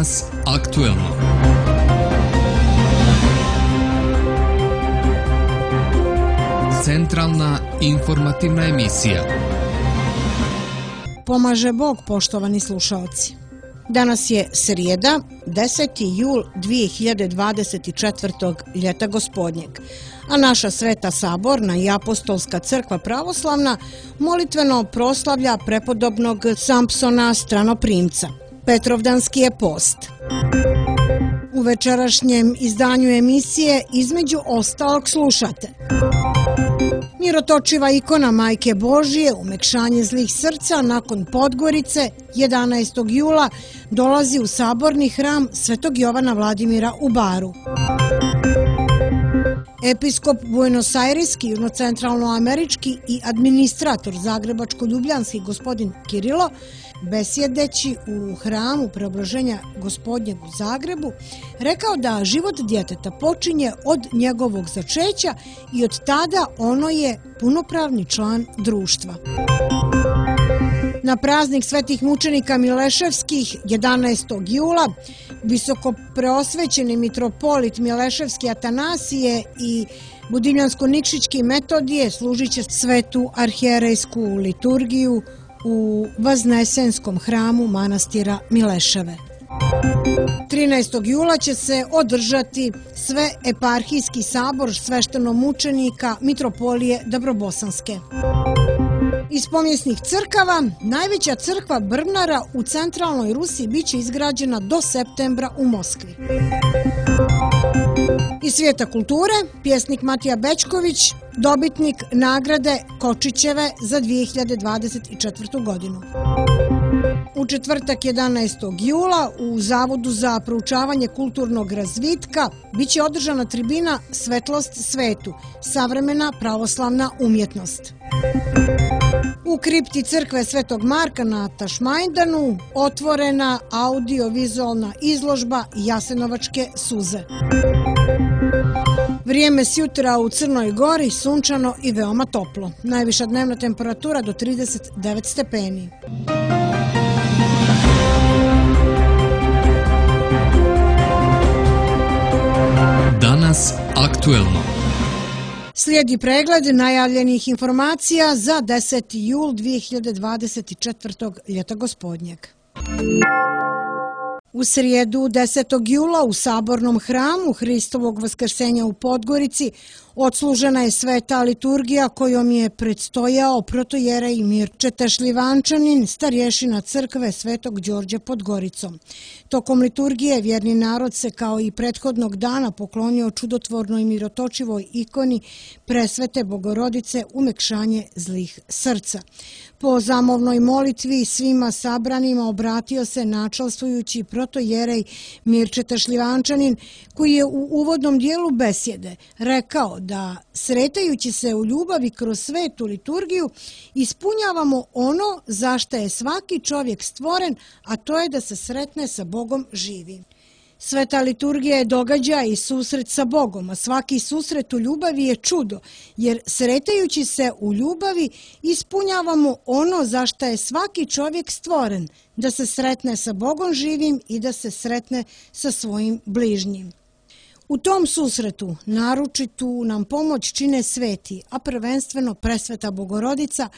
Danas aktuelno. Centralna informativna emisija. Pomaže Bog, poštovani slušaoci. Danas je srijeda, 10. jul 2024. ljeta gospodnjeg, a naša Sveta Saborna i Apostolska crkva pravoslavna molitveno proslavlja prepodobnog Sampsona Stranoprimca. Petrovdanski je post. U večerašnjem izdanju emisije između ostalog slušate: mirotočiva ikona Majke Božije, umekšanje zlih srca nakon Podgorice 11. jula dolazi u saborni hram Svetog Jovana Vladimira u Baru. Episkop Buenos-Aireski, južnocentralnoamerički i administrator zagrebačko-ljubljanski gospodin Kirilo, besjedeći u hramu Preoblaženja Gospodnjeg u Zagrebu, rekao da život djeteta počinje od njegovog začeća i od tada ono je punopravni član društva. Na praznik svetih mučenika Mileševskih 11. jula visoko preosvećeni mitropolit Mileševski Atanasije i Budimljansko-Nikšićki Metodije služit će svetu arhijerejsku liturgiju u Vaznesenskom hramu manastira Mileševe. 13. jula će se održati sve eparhijski sabor sveštenomučenika mitropolije Dabrobosanske. Iz pomjesnih crkava, najveća crkva Brvnara u centralnoj Rusiji biće izgrađena do septembra u Moskvi. Iz svijeta kulture, pjesnik Matija Bećković, dobitnik nagrade Kočićeve za 2024. godinu. U četvrtak 11. jula u Zavodu za proučavanje kulturnog razvitka biće održana tribina Svetlost svetu, savremena pravoslavna umjetnost. U kripti crkve Svetog Marka na Tašmajdanu otvorena audio-vizualna izložba Jasenovačke suze. Vrijeme sjutra u Crnoj Gori sunčano i veoma toplo. Najviša dnevna temperatura do 39 stepeni. Danas aktuelno. Slijedi pregled najavljenih informacija za 10. jul 2024. ljeta gospodnjeg. U srijedu 10. jula u sabornom hramu Hristovog vaskrsenja u Podgorici odslužena je sveta liturgija kojom je predstojao protojerej Mirčeta Šljivančanin, starješina crkve Svetog Đorđa pod Goricom. Tokom liturgije vjerni narod se kao i prethodnog dana poklonio čudotvornoj mirotočivoj ikoni Presvete Bogorodice umekšanje zlih srca. Po zamovnoj molitvi svima sabranima obratio se načalstvujući protojerej Mirčeta Šljivančanin, koji je u uvodnom dijelu besjede rekao da sretajući se u ljubavi kroz svetu liturgiju ispunjavamo ono za što je svaki čovjek stvoren, a to je da se sretne sa Bogom živi. Sveta liturgija je događaj i susret sa Bogom, a svaki susret u ljubavi je čudo, jer sretajući se u ljubavi ispunjavamo ono za što je svaki čovjek stvoren, da se sretne sa Bogom živim i da se sretne sa svojim bližnjim. U tom susretu naročitu nam pomoć čine sveti, a prvenstveno Presveta Bogorodica,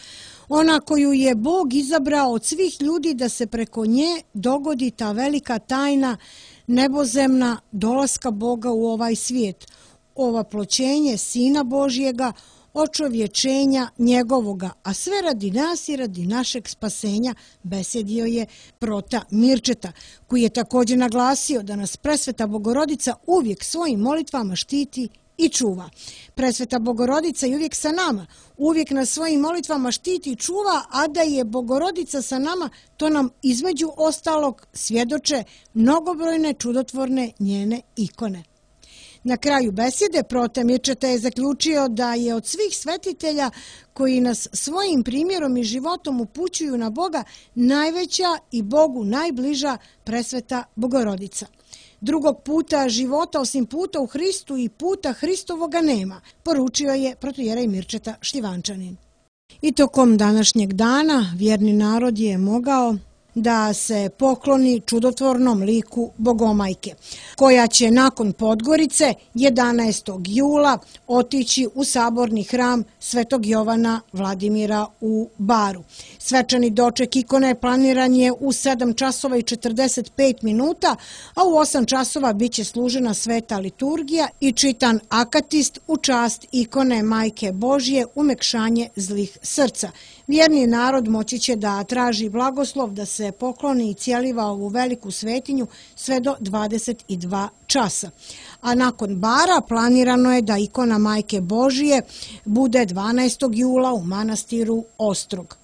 ona koju je Bog izabrao od svih ljudi da se preko nje dogodi ta velika tajna nebozemna dolaska Boga u ovaj svijet, ovaploćenje Sina Božjega, očovječenja njegovoga, a sve radi nas i radi našeg spasenja, besjedio je prota Mirčeta, koji je također naglasio da nas Presveta Bogorodica uvijek svojim molitvama štiti i čuva. Presveta Bogorodica je uvijek sa nama, uvijek nas svojim molitvama štiti i čuva, a da je Bogorodica sa nama, to nam između ostalog svjedoče mnogobrojne čudotvorne njene ikone. Na kraju besjede prota Mirčeta je zaključio da je od svih svetitelja koji nas svojim primjerom i životom upućuju na Boga najveća i Bogu najbliža Presveta Bogorodica. Drugog puta života osim puta u Hristu i puta Hristovoga nema, poručio je protojerej Mirčeta Šljivančanin. I tokom današnjeg dana vjerni narod je mogao da se pokloni čudotvornom liku Bogomajke, koja će nakon Podgorice 11. jula otići u saborni hram Svetog Jovana Vladimira u Baru. Svečani doček ikone planiran je u 7 časova i 45 minuta, a u 8 časova biće služena sveta liturgija i čitan akatist u čast ikone Majke Božje umekšanje zlih srca. Vjerni narod moći će da traži blagoslov da se pokloni i cijeliva ovu veliku svetinju sve do 22 časa. A nakon Bara planirano je da ikona Majke Božije bude 12. jula u manastiru Ostrog.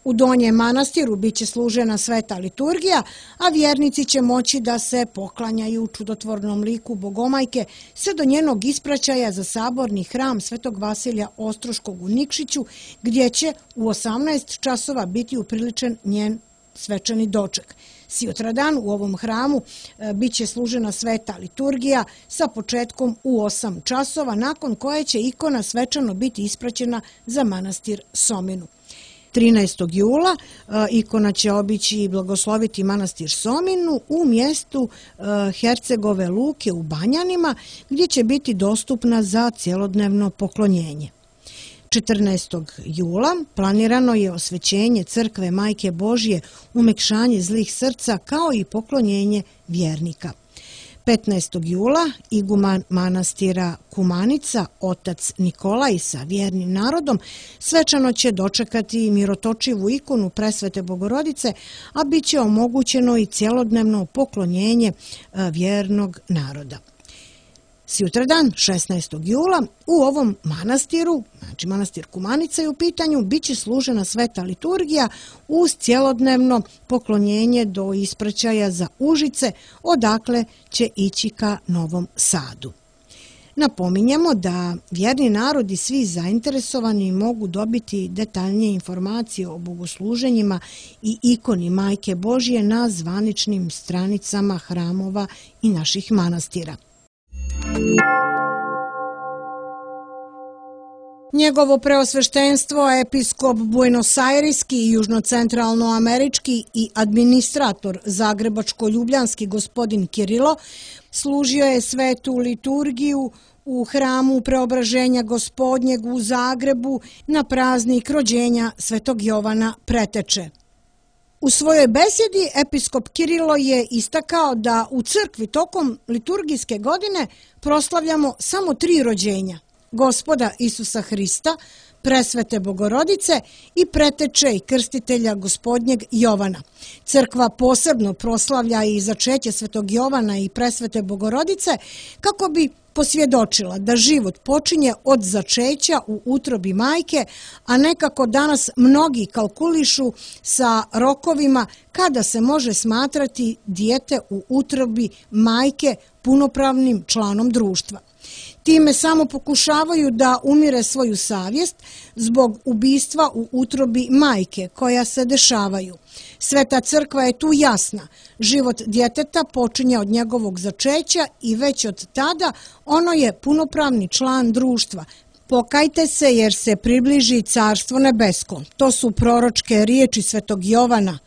U Donjem manastiru biće služena sveta liturgija, a vjernici će moći da se poklanjaju čudotvornom liku Bogomajke sve do njenog ispraćaja za saborni hram Svetog Vasilija Ostroškog u Nikšiću, gdje će u 18 časova biti upriličen njen svečani doček. Sutradan u ovom hramu biće služena sveta liturgija sa početkom u 8 časova, nakon koje će ikona svečano biti ispraćena za manastir Sominu. 13. jula ikona će obići i blagosloviti manastir Sominu u mjestu Hercegove Luke u Banjanima, gdje će biti dostupna za cjelodnevno poklonjenje. 14. jula planirano je osvećenje crkve Majke Božje, umekšanje zlih srca kao i poklonjenje vjernika. 15. jula iguman manastira Kumanica, otac Nikolaj sa vjernim narodom, svečano će dočekati mirotočivu ikonu Presvete Bogorodice, a bit će omogućeno i cjelodnevno poklonjenje vjernog naroda. Sutradan, 16. jula, u ovom manastiru, znači manastir Kumanica je u pitanju, bit će služena sveta liturgija uz cjelodnevno poklonjenje do ispraćaja za Užice, odakle će ići ka Novom Sadu. Napominjemo da vjerni narod i svi zainteresovani mogu dobiti detaljnije informacije o bogosluženjima i ikoni Majke Božje na zvaničnim stranicama hramova i naših manastira. Njegovo preosveštenstvo, episkop buenosajriski i južnocentralnoamerički i administrator zagrebačko-ljubljanski gospodin Kirilo, služio je svetu liturgiju u hramu Preobraženja Gospodnjeg u Zagrebu na praznik rođenja Svetog Jovana Preteče. U svojoj besjedi episkop Kirilo je istakao da u crkvi tokom liturgijske godine proslavljamo samo 3 rođenja: Gospoda Isusa Hrista, Presvete Bogorodice i Preteče i krstitelja Gospodnjeg Jovana. Crkva posebno proslavlja i začeće Svetog Jovana i Presvete Bogorodice kako bi posvjedočila da život počinje od začeća u utrobi majke, a nekako danas mnogi kalkulišu sa rokovima kada se može smatrati dijete u utrobi majke punopravnim članom društva. Time samo pokušavaju da umire svoju savjest zbog ubistva u utrobi majke koja se dešavaju. Sveta crkva je tu jasna. Život djeteta počinje od njegovog začeća i već od tada ono je punopravni član društva. Pokajte se jer se približi Carstvo nebesko. To su proročke riječi Svetog Jovana.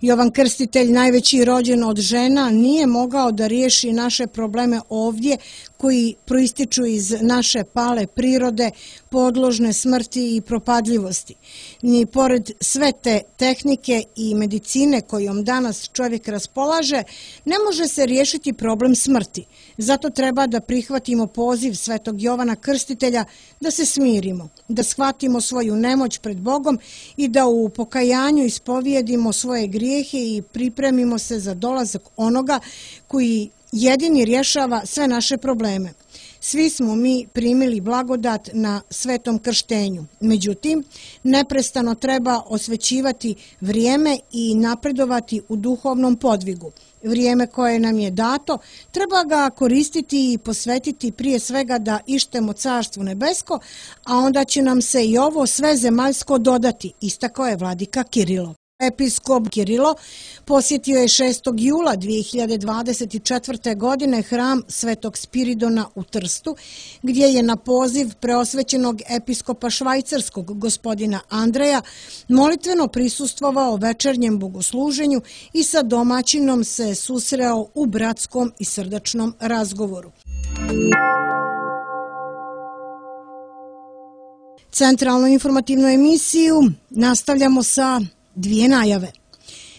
Jovan Krstitelj, najveći rođen od žena, nije mogao da riješi naše probleme ovdje koji proističu iz naše pale prirode, podložne smrti i propadljivosti. Ni pored sve te tehnike i medicine kojom danas čovjek raspolaže, ne može se riješiti problem smrti. Zato treba da prihvatimo poziv Svetog Jovana Krstitelja da se smirimo, da shvatimo svoju nemoć pred Bogom i da u pokajanju ispovijedimo svoje grijehe i pripremimo se za dolazak onoga koji jedini rješava sve naše probleme. Svi smo mi primili blagodat na svetom krštenju. Međutim, neprestano treba osvećivati vrijeme i napredovati u duhovnom podvigu. Vrijeme koje nam je dato treba ga koristiti i posvetiti prije svega da ištemo Carstvo nebesko, a onda će nam se i ovo sve zemaljsko dodati, istakao je vladika Kirilo. Episkop Kirilo posjetio je 6. jula 2024. godine hram Svetog Spiridona u Trstu, gdje je na poziv preosvećenog episkopa švajcarskog gospodina Andreja molitveno prisustvovao večernjem bogosluženju i sa domaćinom se susreo u bratskom i srdačnom razgovoru. Centralnu informativnu emisiju nastavljamo sa dvije najave.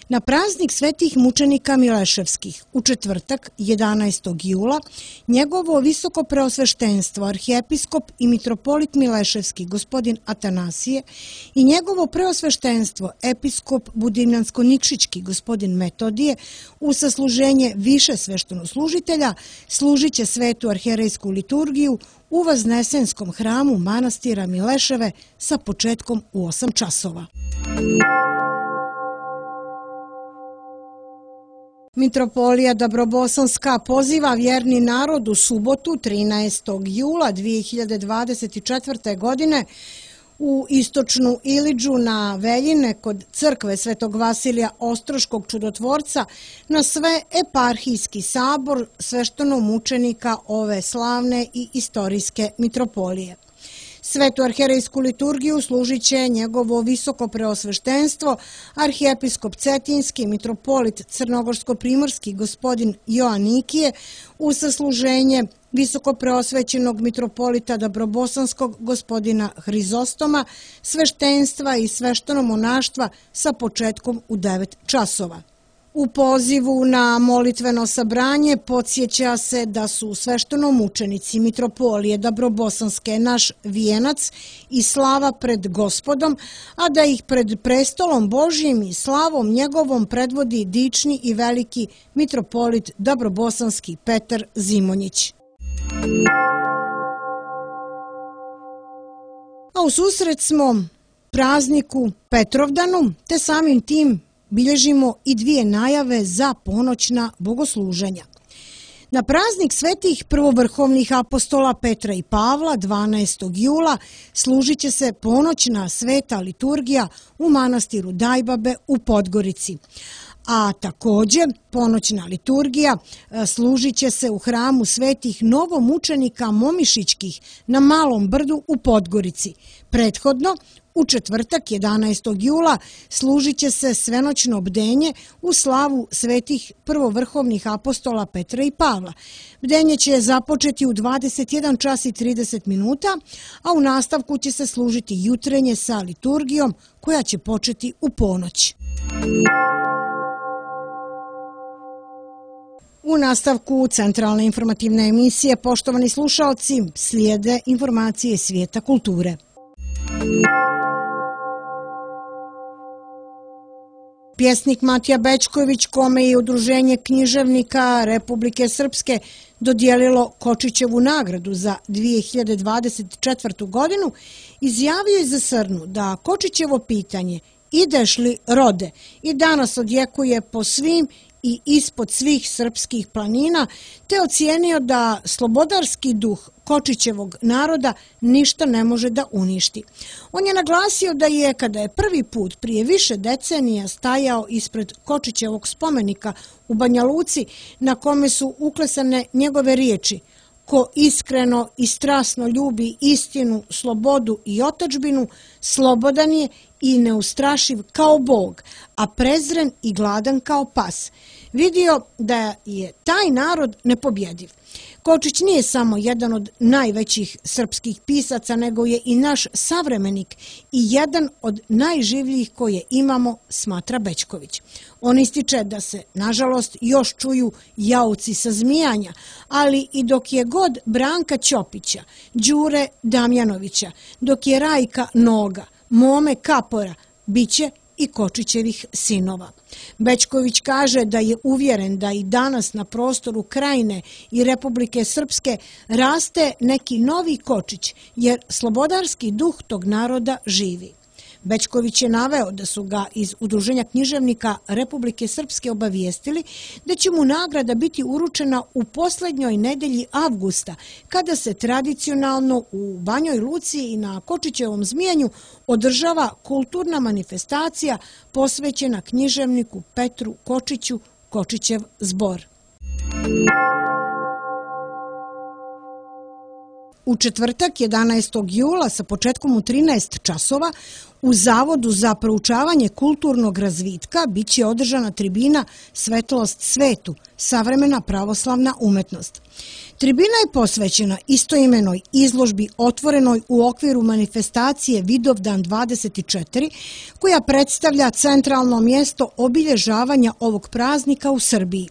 Na praznik svetih mučenika Mileševskih u četvrtak 11. jula njegovo visoko preosveštenstvo arhijepiskop i mitropolit Mileševski gospodin Atanasije i njegovo preosveštenstvo episkop Budimljansko-Nikšićki gospodin Metodije u sasluženje više sveštenoslužitelja služit će svetu arhijerejsku liturgiju u Vaznesenskom hramu manastira Mileševe sa početkom u 8 časova. Mitropolija Dabrobosanska poziva vjerni narod u subotu 13. jula 2024. godine u istočnu Ilidžu na Veljine kod crkve Svetog Vasilija Ostroškog čudotvorca na sve eparhijski sabor sveštenomučenika ove slavne i istorijske mitropolije. Svetu arhijerejsku liturgiju služit će njegovo visoko preosveštenstvo, arhijepiskop Cetinski, mitropolit Crnogorsko-primorski gospodin Joanikije, u sasluženje visoko preosvećenog mitropolita Dabrobosanskog gospodina Hrizostoma, sveštenstva i sveštenomonaštva sa početkom u 9 časova. U pozivu na molitveno sabranje podsjeća se da su sveštenomučenici mitropolije Dabrobosanske naš vijenac i slava pred Gospodom, a da ih pred prestolom Božjim i slavom njegovom predvodi dični i veliki mitropolit Dabrobosanski Petar Zimonjić. A u susret smo prazniku Petrovdanu, te samim tim bilježimo i dvije najave za ponoćna bogosluženja. Na praznik svetih prvovrhovnih apostola Petra i Pavla 12. jula služit će se ponoćna sveta liturgija u manastiru Dajbabe u Podgorici. A također ponoćna liturgija služit će se u hramu svetih novomučenika Momišićkih na Malom brdu u Podgorici. Prethodno, u četvrtak 11. jula služit će se svenoćno bdenje u slavu svetih prvovrhovnih apostola Petra i Pavla. Bdenje će započeti u 21 čas i 30 minuta, a u nastavku će se služiti jutrenje sa liturgijom koja će početi u ponoć. U nastavku centralne informativne emisije, poštovani slušalci, slijede informacije svijeta kulture. Pjesnik Matija Bećković, kome je Udruženje književnika Republike Srpske dodijelilo Kočićevu nagradu za 2024. godinu, izjavio je za Srnu da Kočićevo pitanje "Ideš li, rode?" i danas odjekuje po svim i ispod svih srpskih planina, te ocijenio da slobodarski duh Kočićevog naroda ništa ne može da uništi. On je naglasio da je, kada je prvi put prije više decenija stajao ispred Kočićevog spomenika u Banja Luci, na kome su uklesane njegove riječi: "Ko iskreno i strasno ljubi istinu, slobodu i otadžbinu, slobodan je i neustrašiv kao Bog, a prezren i gladan kao pas", vidio da je taj narod nepobjediv. Kočić nije samo jedan od najvećih srpskih pisaca, nego je i naš savremenik i jedan od najživljih koje imamo, smatra Bećković. On ističe da se, nažalost, još čuju jauci sa Zmijanja, ali i dok je god Branka Ćopića, Đure Damjanovića, dok je Rajka Noga, Mome Kapora, bit će i Kočićevih sinova. Bećković kaže da je uvjeren da i danas na prostoru Krajine i Republike Srpske raste neki novi Kočić, jer slobodarski duh tog naroda živi. Bećković je naveo da su ga iz Udruženja književnika Republike Srpske obavijestili da će mu nagrada biti uručena u poslednjoj nedelji avgusta, kada se tradicionalno u Banjoj Luci i na Kočićevom Zmijanju održava kulturna manifestacija posvećena književniku Petru Kočiću, Kočićev zbor. U četvrtak 11. jula sa početkom u 13 časova u Zavodu za proučavanje kulturnog razvitka biće održana tribina Svetlost svetu, savremena pravoslavna umetnost. Tribina je posvećena istoimenoj izložbi otvorenoj u okviru manifestacije Vidovdan 24, koja predstavlja centralno mjesto obilježavanja ovog praznika u Srbiji.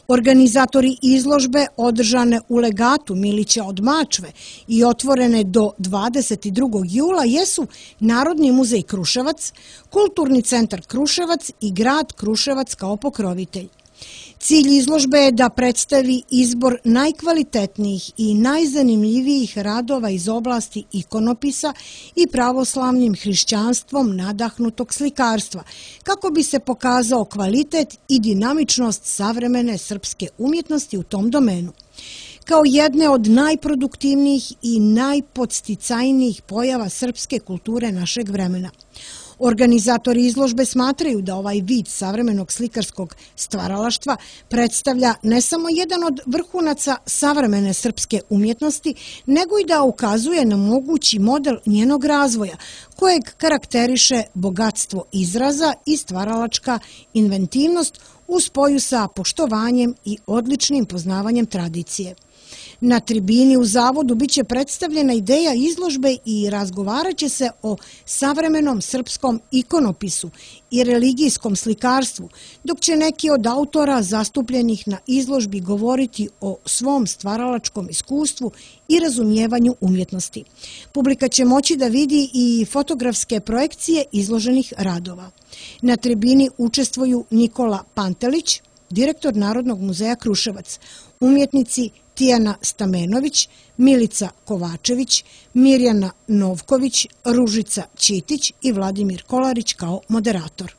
Organizatori izložbe održane u legatu Milića od Mačve i otvorene do 22. jula jesu Narodni muzej Kruševac, Kulturni centar Kruševac i grad Kruševac kao pokrovitelj. Cilj izložbe je da predstavi izbor najkvalitetnijih i najzanimljivijih radova iz oblasti ikonopisa i pravoslavnim hrišćanstvom nadahnutog slikarstva, kako bi se pokazao kvalitet i dinamičnost savremene srpske umjetnosti u tom domenu. Kao jedne od najproduktivnijih i najpodsticajnijih pojava srpske kulture našeg vremena. Organizatori izložbe smatraju da ovaj vid savremenog slikarskog stvaralaštva predstavlja ne samo jedan od vrhunaca savremene srpske umjetnosti, nego i da ukazuje na mogući model njenog razvoja, kojeg karakteriše bogatstvo izraza i stvaralačka inventivnost u spoju sa poštovanjem i odličnim poznavanjem tradicije. Na tribini u Zavodu biće predstavljena ideja izložbe i razgovarat će se o savremenom srpskom ikonopisu i religijskom slikarstvu, dok će neki od autora zastupljenih na izložbi govoriti o svom stvaralačkom iskustvu i razumijevanju umjetnosti. Publika će moći da vidi i fotografske projekcije izloženih radova. Na tribini učestvuju Nikola Pantelić, direktor Narodnog muzeja Kruševac, umjetnici Tijana Stamenović, Milica Kovačević, Mirjana Novković, Ružica Ćitić i Vladimir Kolarić kao moderator.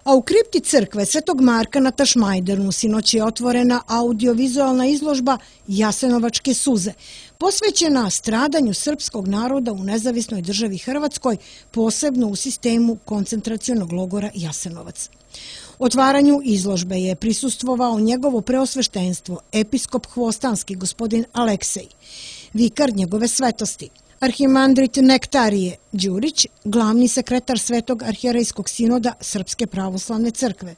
A u kripti crkve Svetog Marka na Tašmajdernu sinoć je otvorena audiovizualna izložba Jasenovačke suze, posvećena stradanju srpskog naroda u nezavisnoj državi Hrvatskoj, posebno u sistemu koncentracionog logora Jasenovac. Otvaranju izložbe je prisustvovao njegovo preosveštenstvo, episkop Hvostanski gospodin Aleksej, vikar njegove svetosti, arhimandrit Nektarije Đurić, glavni sekretar Svetog arhijerejskog sinoda Srpske pravoslavne crkve,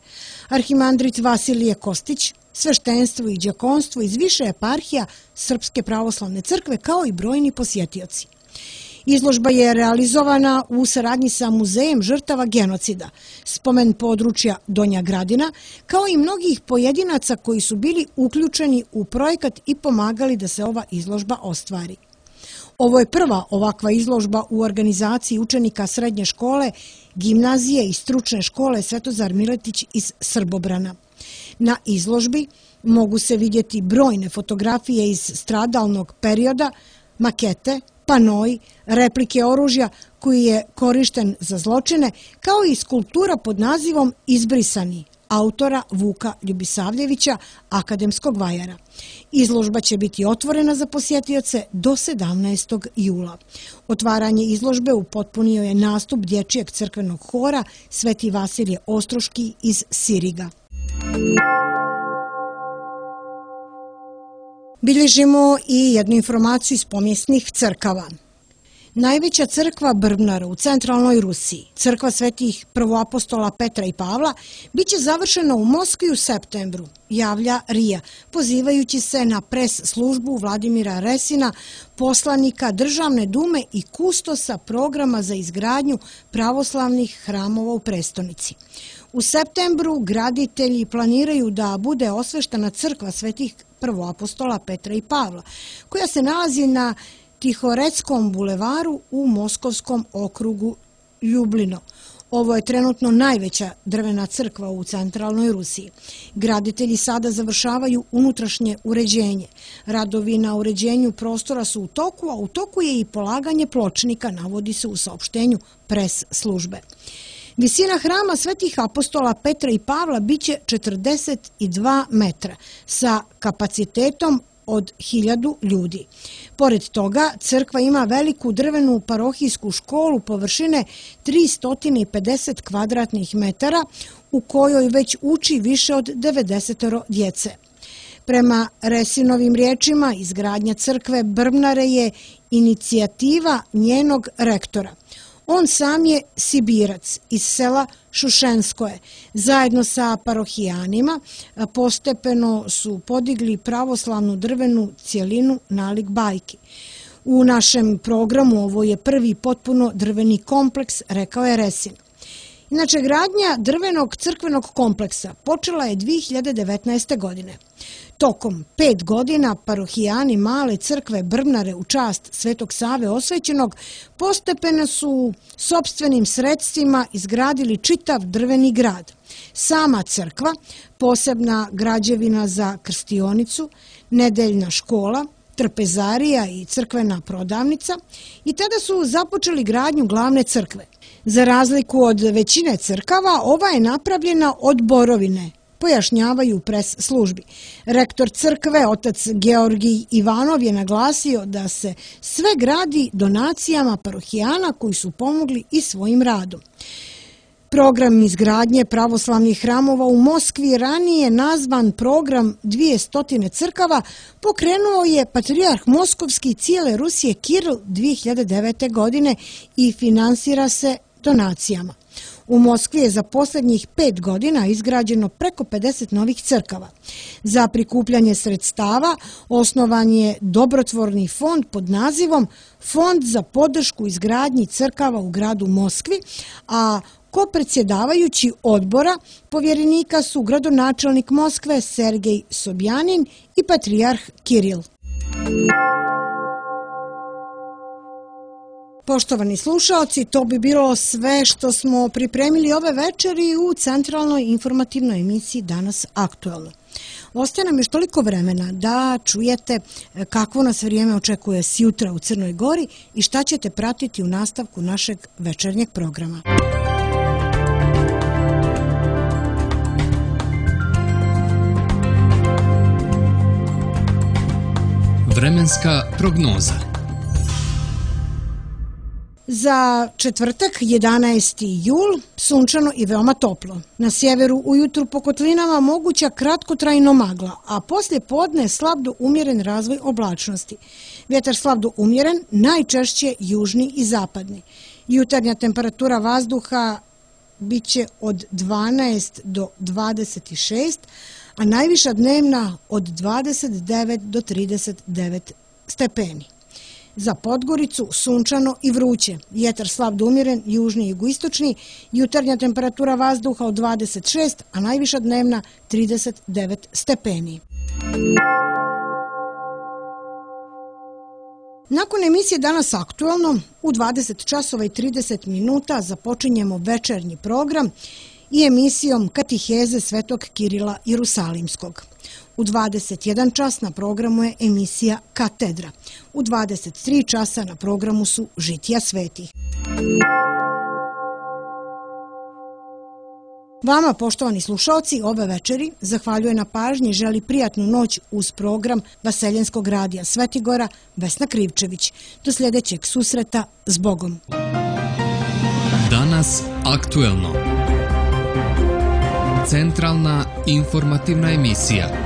arhimandrit Vasilije Kostić, sveštenstvo i đakonstvo iz više eparhija Srpske pravoslavne crkve, kao i brojni posjetioci. Izložba je realizovana u saradnji sa Muzejem žrtava genocida, spomen područja Donja Gradina, kao i mnogih pojedinaca koji su bili uključeni u projekat i pomagali da se ova izložba ostvari. Ovo je prva ovakva izložba u organizaciji učenika srednje škole, gimnazije i stručne škole Svetozar Miletić iz Srbobrana. Na izložbi mogu se vidjeti brojne fotografije iz stradalnog perioda, makete, panoi, replike oružja koji je korišten za zločine, kao i skulptura pod nazivom Izbrisani, autora Vuka Ljubisavljevića, akademskog vajara. Izložba će biti otvorena za posjetioce do 17. jula. Otvaranje izložbe upotpunio je nastup dječjeg crkvenog hora Sveti Vasilije Ostroški iz Siriga. Bilježimo i jednu informaciju iz pomijesnih crkava. Najveća crkva Brbnara u centralnoj Rusiji, crkva svetih prvoapostola Petra i Pavla, biće završena u Moskvi u septembru, javlja RIA, pozivajući se na pres službu Vladimira Resina, poslanika Državne dume i kustosa programa za izgradnju pravoslavnih hramova u prestonici. U septembru graditelji planiraju da bude osveštena crkva svetih prvoapostola Petra i Pavla, koja se nalazi na Tihoreckom bulevaru u Moskovskom okrugu Ljublino. Ovo je trenutno najveća drvena crkva u centralnoj Rusiji. Graditelji sada završavaju unutrašnje uređenje. Radovi na uređenju prostora su u toku, a u toku je i polaganje pločnika, navodi se u saopštenju pres službe. Visina hrama svetih apostola Petra i Pavla biće 42 metra sa kapacitetom od 1000 ljudi. Pored toga, crkva ima veliku drvenu parohijsku školu površine 350 kvadratnih metara u kojoj već uči više od 90 djece. Prema Resinovim riječima, izgradnja crkve Brbnare je inicijativa njenog rektora. On sam je Sibirac iz sela Šušenskoje. Zajedno sa parohijanima postepeno su podigli pravoslavnu drvenu cjelinu nalik bajki. U našem programu ovo je prvi potpuno drveni kompleks, rekao je Resin. Inače, gradnja drvenog crkvenog kompleksa počela je 2019. godine. Tokom 5 godina parohijani male crkve Brbnare u čast Svetog Save Osvećenog postepeno su sopstvenim sredstvima izgradili čitav drveni grad. Sama crkva, posebna građevina za krstionicu, nedeljna škola, trpezarija i crkvena prodavnica i tada su započeli gradnju glavne crkve. Za razliku od većine crkava, ova je napravljena od borovine, pojašnjavaju pres službi. Rektor crkve, otac Georgij Ivanov, je naglasio da se sve gradi donacijama parohijana koji su pomogli i svojim radom. Program izgradnje pravoslavnih hramova u Moskvi, ranije nazvan program 200 crkava, pokrenuo je patrijarh Moskovski cijele Rusije Kiril 2009. godine i finansira se donacijama. U Moskvi je za posljednjih 5 godina izgrađeno preko 50 novih crkava. Za prikupljanje sredstava osnovan je dobrotvorni fond pod nazivom Fond za podršku izgradnji crkava u gradu Moskvi, a kopredsjedavajući odbora povjerenika su gradonačelnik Moskve Sergej Sobjanin i patrijarh Kiril. Poštovani slušaoci, to bi bilo sve što smo pripremili ove večeri u centralnoj informativnoj emisiji Danas aktuelno. Ostaje nam još toliko vremena da čujete kakvo nas vrijeme očekuje sjutra u Crnoj Gori i šta ćete pratiti u nastavku našeg večernjeg programa. Vremenska prognoza. Za četvrtak, 11. jul, sunčano i veoma toplo. Na sjeveru ujutru po kotlinama moguća kratkotrajno magla, a poslije podne slab do umjeren razvoj oblačnosti. Vjetar slab do umjeren, najčešće južni i zapadni. Jutarnja temperatura vazduha bit će od 12 do 26, a najviša dnevna od 29 do 39 stepeni. Za Podgoricu sunčano i vruće. Vjetar slab do umjeren, južni i jugoistočni, jutarnja temperatura vazduha od 26, a najviša dnevna 39 stepeni. Nakon emisije Danas aktuelno, u 20 časova i 30 minuta započinjemo večernji program i emisijom Katiheze Svetog Kirila Jerusalimskog. U 21 čas na programu je emisija Katedra. U 23 časa na programu su Žitija svetih. Vama, poštovani slušalci, ove večeri zahvaljuje na pažnji i želi prijatnu noć uz program Vaseljenskog radija Svetigora Vesna Krivčević. Do sljedećeg susreta, s Bogom. Danas aktuelno. Centralna informativna emisija.